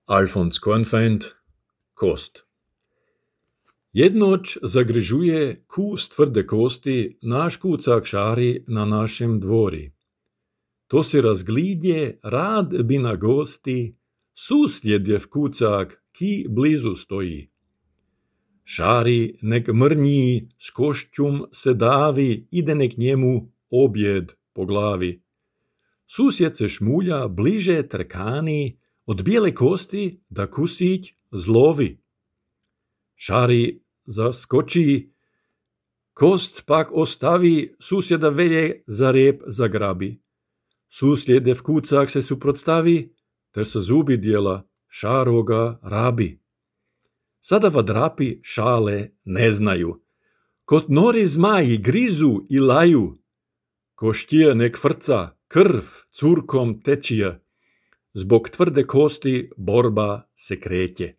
Alfons Kornfeind, kost. Jednoć zagryžuje kus tvrde kosti naš kucak šari na našem dvori. To se razglidje rad bi na gosti, susjedjev kucak ki blizu stoji. Šari nek mrnji, s košćum se davi, ide nek njemu objed po glavi. Susjed se šmulja bliže trkani, od bijele kosti da kusić zlovi. Šari zaskoči, kost pak ostavi, susjeda velje za rep zagrabi. Susjedev kucak se suprotstavi, ter sa zubi dijela šaroga rabi. Sada vadrapi šale ne znaju, kot nori zmaji grizu i laju. Koštije nek frca, krv curkom tečija, zbog tvrde kosti borba se kreće.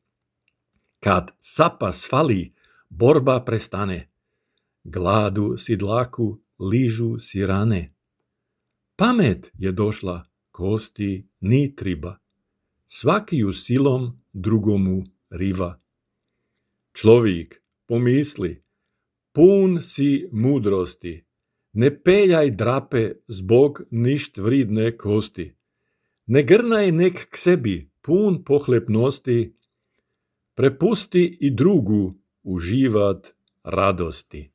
Kad sapa svali, borba prestane. Gladu si dlaku, ližu si rane. Pamet je došla, kosti ni triba. Svakiju silom drugomu riva. Človik, pomisli, pun si mudrosti, ne peljaj drape zbog ništ vridne kosti. Ne grnaj nek k sebi, pun pohlepnosti, prepusti i drugu uživat radosti.